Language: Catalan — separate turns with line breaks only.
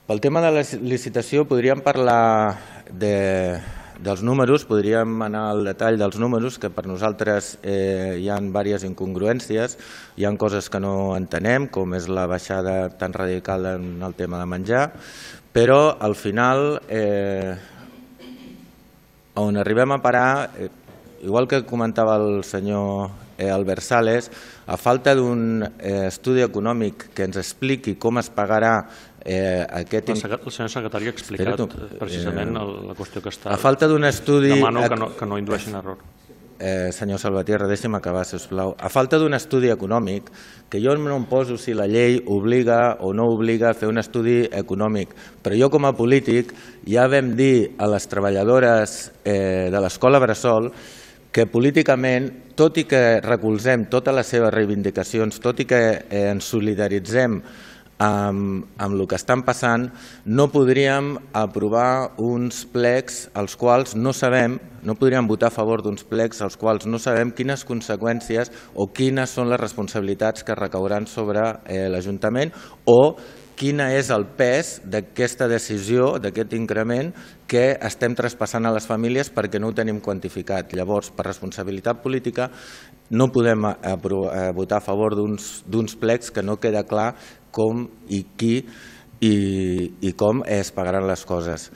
Pel tema de la licitació podríem parlar dels números, podríem anar al detall dels números, que per nosaltres hi ha diverses incongruències, hi ha coses que no entenem, com és la baixada tan radical en el tema de menjar, però al final on arribem a parar, igual que comentava el senyor Albert Sales, a falta d'un estudi econòmic que ens expliqui com es pagarà aquest...
El senyor secretari ha explicat precisament la qüestió que està...
A falta d'un estudi...
Demano que no indueixin error.
Senyor Salvatierra, deixi'm acabar, sisplau. A falta d'un estudi econòmic, que jo no em poso si la llei obliga o no obliga a fer un estudi econòmic, però jo com a polític ja vam dir a les treballadores de l'escola Bressol que políticament, tot i que recolzem totes les seves reivindicacions, tot i que ens solidaritzem amb el que estan passant, no podríem aprovar uns plecs als quals no sabem, no podríem votar a favor d'uns plecs als quals no sabem quines conseqüències o quines són les responsabilitats que recauran sobre l'Ajuntament o quin és el pes d'aquesta decisió, d'aquest increment que estem traspassant a les famílies perquè no ho tenim quantificat. Llavors, per responsabilitat política, no podem votar a favor d'uns plecs que no queda clar com i qui i com es pagaran les coses.